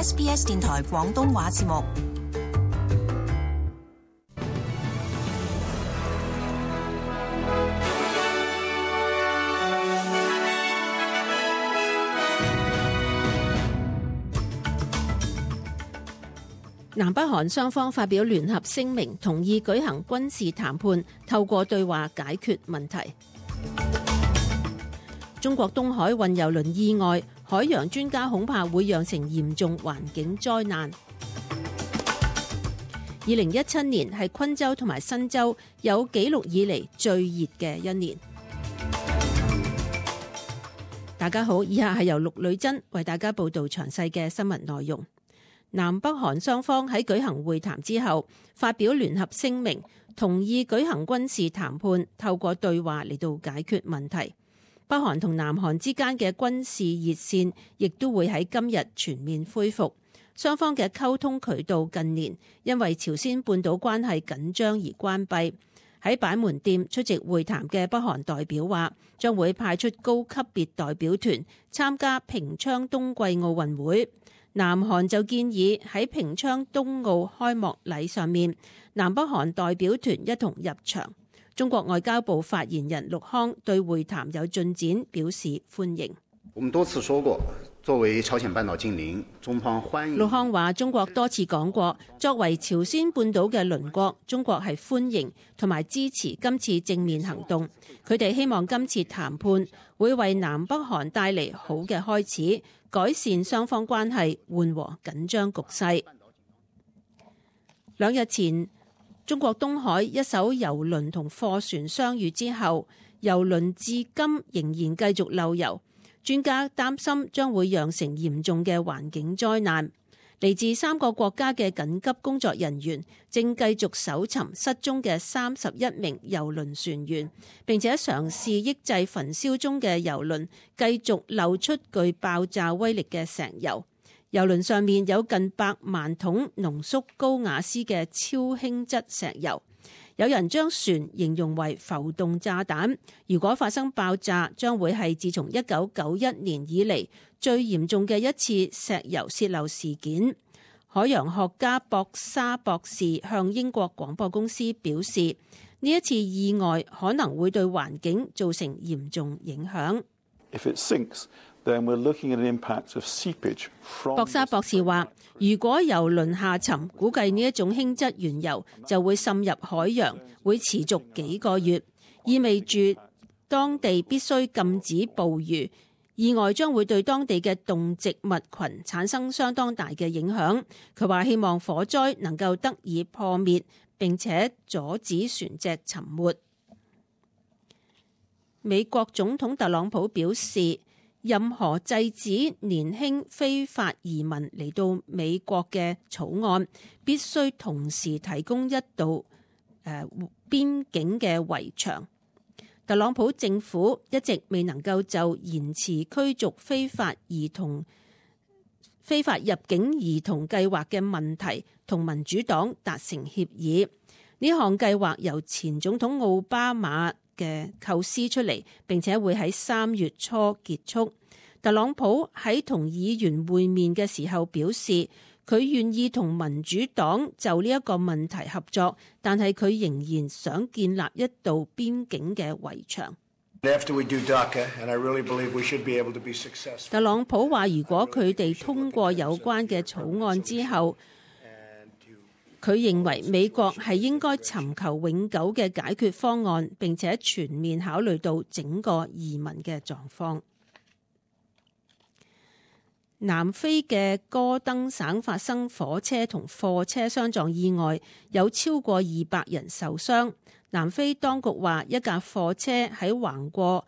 SBS 電台廣東話節目。南北韓雙方發表聯合聲明，同意舉行軍事談判，透過對話解決問題。中國東海運油輪意外，海洋專家恐怕會釀成嚴重環境災難。2017年係昆州同埋新州有紀錄以嚟最熱嘅一年。大家好，以下係由陸女真為大家報道詳細嘅新聞內容。南北韓雙方喺舉行會談之後，發表聯合聲明，同意舉行軍事談判，透過對話嚟到解決問題。北韓同南韓之間嘅軍事熱線亦都會喺今日全面恢復。雙方嘅溝通渠道近年因為朝鮮半島關係緊張而關閉。喺板門店出席會談嘅北韓代表話，將會派出高級別代表團參加平昌冬季奧運會。南韓就建議喺平昌冬奧開幕禮上面，南北韓代表團一同入場。中國外交部發言人陸康對會談有進展表示歡迎。我們多次說過，作為朝鮮半島近鄰，中方歡迎。陸康話：中國多次講過，作為朝鮮半島嘅鄰國，中國係歡迎同埋支持今次正面行動。佢哋希望今次談判會為南北韓帶嚟好嘅開始，改善雙方關係，緩和緊張局勢。2日前，中國東海一艘郵輪同貨船相遇之後，郵輪至今仍然繼續漏油。專家擔心將會釀成嚴重嘅環境災難。嚟自3個國家嘅緊急工作人員正繼續搜尋失蹤嘅31名郵輪船員，並且嘗試抑制焚燒中嘅郵輪繼續漏出具爆炸威力嘅石油。郵輪上面有近100萬桶濃縮高雅斯嘅超輕質石油。有人將船形容為浮動炸彈，如果發生爆炸，將會係自從1991年以嚟最嚴重嘅一次石油洩漏事件。海洋學家博沙博士向英國廣播公司表示，呢一次意外可能會對環境造成嚴重影響。博沙博士話，如果郵輪下沉，估計呢一種輕質原油就會滲入海洋，會持續幾個月，意味住當地必須禁止捕魚。意外將會對當地嘅動植物群產生相當大嘅影響。佢話希望火災能夠得以破滅，並且阻止船隻沉沒。美國總統特朗普表示，任何制止年輕非法移民嚟到美國嘅草案，必須同時提供一道邊境嘅圍牆。特朗普政府一直未能夠就延遲驅逐非法入境兒童計劃嘅問題同民主黨達成協議。呢項計劃由前總統奧巴馬嘅構思出嚟，並且會喺3月初結束。特朗普喺同議員會面嘅時候表示，佢願意同民主黨就呢一個問題合作，但係佢仍然想建立一道邊境嘅圍牆。特朗普話，如果佢哋通過有關嘅草案之後，佢認為美國係應該尋求永久嘅解決方案，並且全面考慮到整個移民嘅狀況。南非嘅戈登省發生火車同貨車相撞意外，有超過200人受傷。南非當局話，一架貨車喺橫過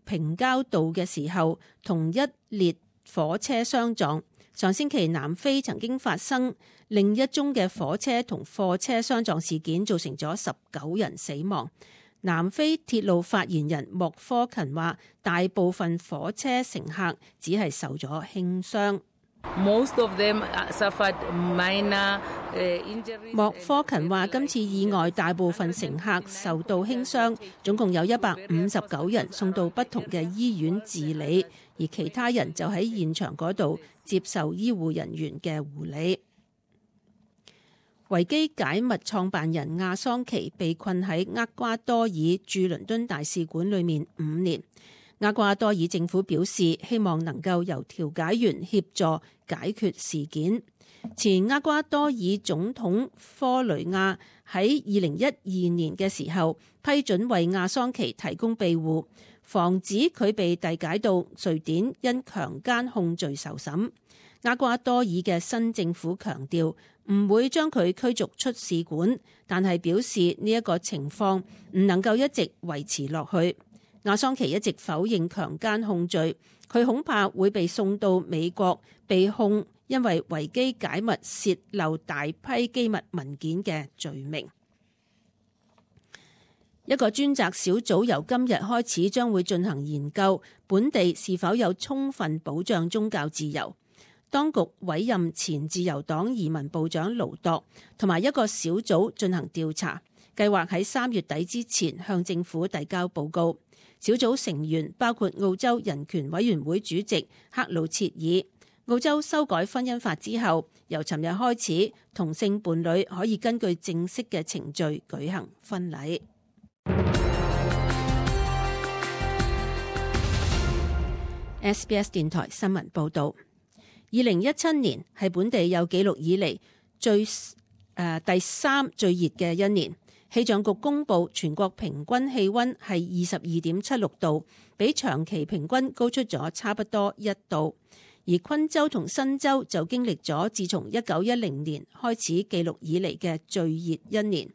平交道嘅時候，同一列火車相撞。上星期南非曾經發生另一宗嘅火車同貨車相撞事件，造成咗19人死亡。南非鐵路發言人莫科勤話，大部分火車乘客只係受咗輕傷。莫科勤話，今次意外大部分乘客受到輕傷，總共有159人送到不同嘅醫院治理，而其他人就喺現場嗰度接受醫護人員嘅護理。維基解密創辦人亞桑奇被困喺厄瓜多爾駐倫敦大使館裏面5年。厄瓜多爾政府表示，希望能夠由調解員協助解決事件。前厄瓜多爾總統科雷亞喺2012年嘅時候批准為亞桑奇提供庇護，防止佢被遞解到瑞典因強姦控罪受審。厄瓜多爾嘅新政府強調唔會將佢驅逐出使館，但係表示呢一個情況唔能夠一直維持落去。亞桑奇一直否認強姦控罪，佢恐怕會被送到美國被控因為維基解密洩漏大批機密文件嘅罪名。一個專責小組由今日開始將會進行研究，本地是否有充分保障宗教自由。當局委任前自由黨移民部長盧鐸同埋一個小組進行調查，計劃喺3月底之前向政府遞交報告。小組成員包括澳洲人權委員會主席克魯切爾。澳洲修改婚姻法之後，由尋日開始，同性伴侶可以根據正式嘅程序舉行婚禮。SBS 電台新聞報導。2017年係本地有紀錄以嚟第3最熱嘅一年。氣象局公布全國平均氣溫係22.76度，比長期平均高出咗差不多1度。而昆州同新州就經歷咗自從1910年開始記錄以嚟嘅最熱一年。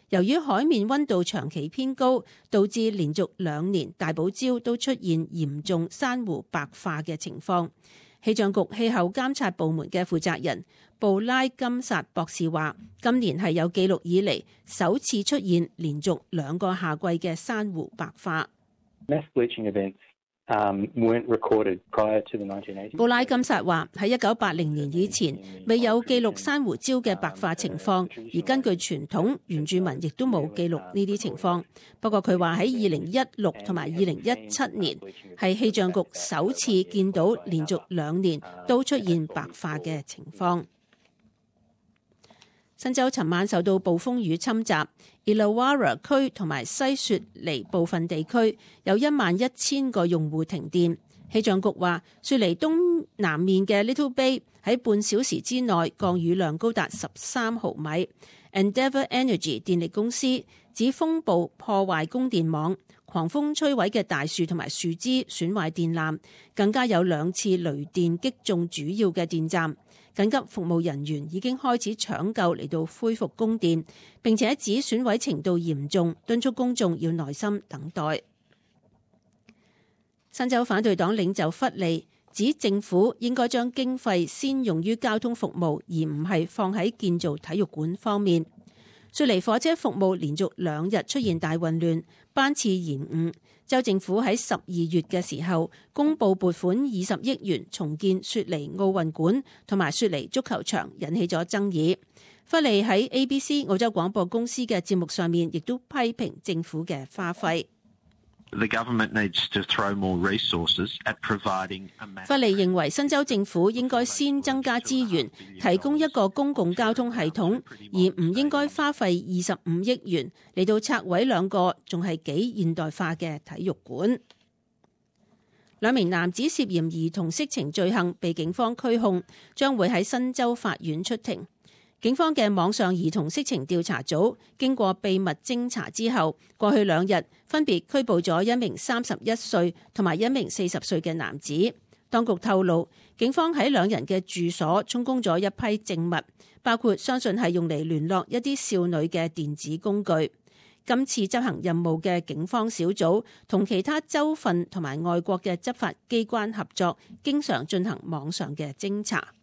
由於海面溫度長期偏高，導致連續2年大堡礁都出現嚴重珊瑚白化嘅情況。氣象局氣候監察部門嘅負責人布拉金薩博士話，今年係有記錄以嚟首次出現連續2個夏季嘅珊瑚白化。布拉金薩話，喺1980年以前未有記錄珊瑚礁嘅白化情況，而根據傳統，原住民亦都冇記錄呢啲情況。不過佢話喺2016同埋2017年係氣象局首次見到連續2年都出現白化嘅情況。新州尋晚受到暴風雨侵襲，Illawarra 區同埋西雪梨部分地區有11000個用戶停電。氣象局話，雪梨東南面嘅 Little Bay 喺半小時之內降雨量高達13毫米。Endeavour Energy 電力公司指風暴破壞供電網，狂風摧毀嘅大樹同埋樹枝損壞電纜，更加有2次雷電擊中主要嘅電站。緊急服務人員已經開始搶救嚟到恢復供電，並且指損毀程度嚴重，敦促公眾要耐心等待。新州反對黨領袖弗利指政府應該將經費先用於交通服務，而唔係放喺建造體育館方面。雪梨火車服務連續2日出現大混亂，班次延誤。州政府喺12月嘅時候公布撥款20億元重建雪梨奧運館同埋雪梨足球場，引起咗爭議。弗利喺 ABC 澳洲廣播公司嘅節目上面亦都批評政府嘅花費。弗利認為新州政府應該先增加資源，提供一個公共交通系統，而唔應該花費25億元嚟到拆毀2個仲係幾現代化嘅體育館。2名男子涉嫌兒童色情罪行被警方拘控，將會喺新州法院出庭。警方嘅網上兒童色情調查組經過秘密偵查之後，過去2日分別拘捕咗1名31歲同埋1名40歲嘅男子。當局透露，警方喺2人嘅住所充公咗一批證物，包括相信係用嚟聯絡一啲少女嘅電子工具。今次執行任務嘅警方小組同其他州份同埋外國嘅執法機關合作，經常進行網上嘅偵查。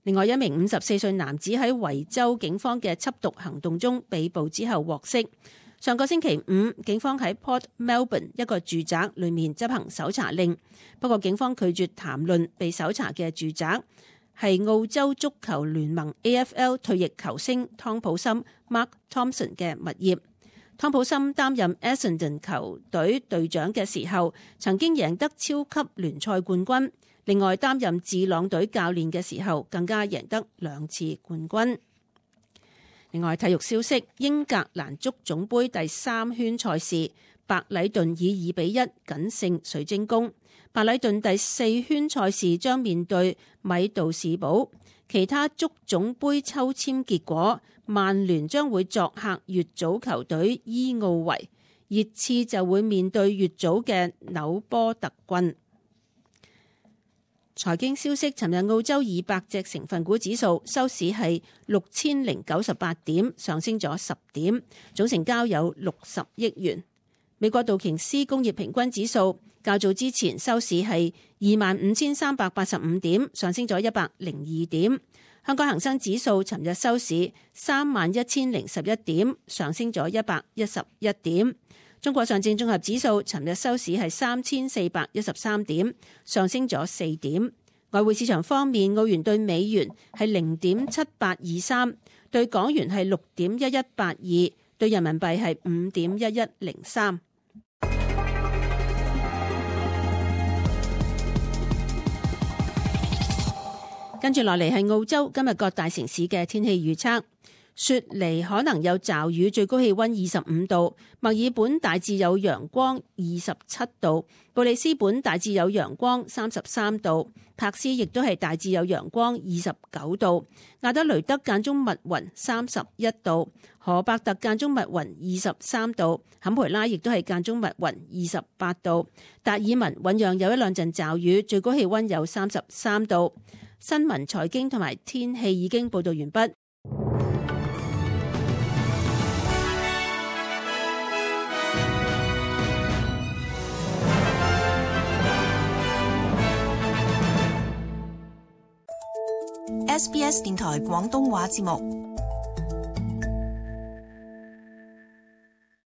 另外1名54歲男子喺維州警方嘅緝毒行動中被捕之後獲釋。上個星期5，警方喺 Port Melbourne 一個住宅裏面執行搜查令，不過警方拒絕談論被搜查嘅住宅係澳洲足球聯盟 AFL 退役球星湯普森 Mark Thompson 嘅物業。湯普森擔任 Essendon 球隊隊長嘅時候，曾經贏得超級聯賽冠軍。另外，擔任智朗隊教練嘅時候，更加贏得2次冠軍。另外，體育消息：英格蘭足總杯第3圈賽事，白禮頓以2-1僅勝水晶宮。白禮頓第4圈賽事將面對米杜士堡。其他足總杯抽籤結果，曼聯將會作客乙組球隊伊奧維，熱刺就會面對乙組嘅紐波特郡。財經消息：尋日澳洲200隻成分股指數收市係6098點，上升咗10點，總成交有60億元。美國道瓊斯工業平均指數較早之前收市係25,385點，上升咗102點。香港恒生指數尋日收市31,011點，上升咗111點。中國上證綜合指數尋日收市係3413點，上升咗4點。外匯市場方面，澳元對美元係0.7823，對港元係6.1182，對人民幣係5.1103。跟住落嚟係澳洲今日各大城市嘅天氣預測。雪梨可能有驟雨，最高氣溫25度；墨爾本大致有陽光，27度；布里斯本大致有陽光，33度；珀斯亦都係大致有陽光，29度；亞德雷德間中密雲，31度；荷伯特間中密雲，23度；坎培拉亦都係間中密雲，28度；達爾文醞釀有一兩陣驟雨，最高氣溫有33度。新聞、財經同埋天氣已經報道完畢。SBS 電台廣東話節目。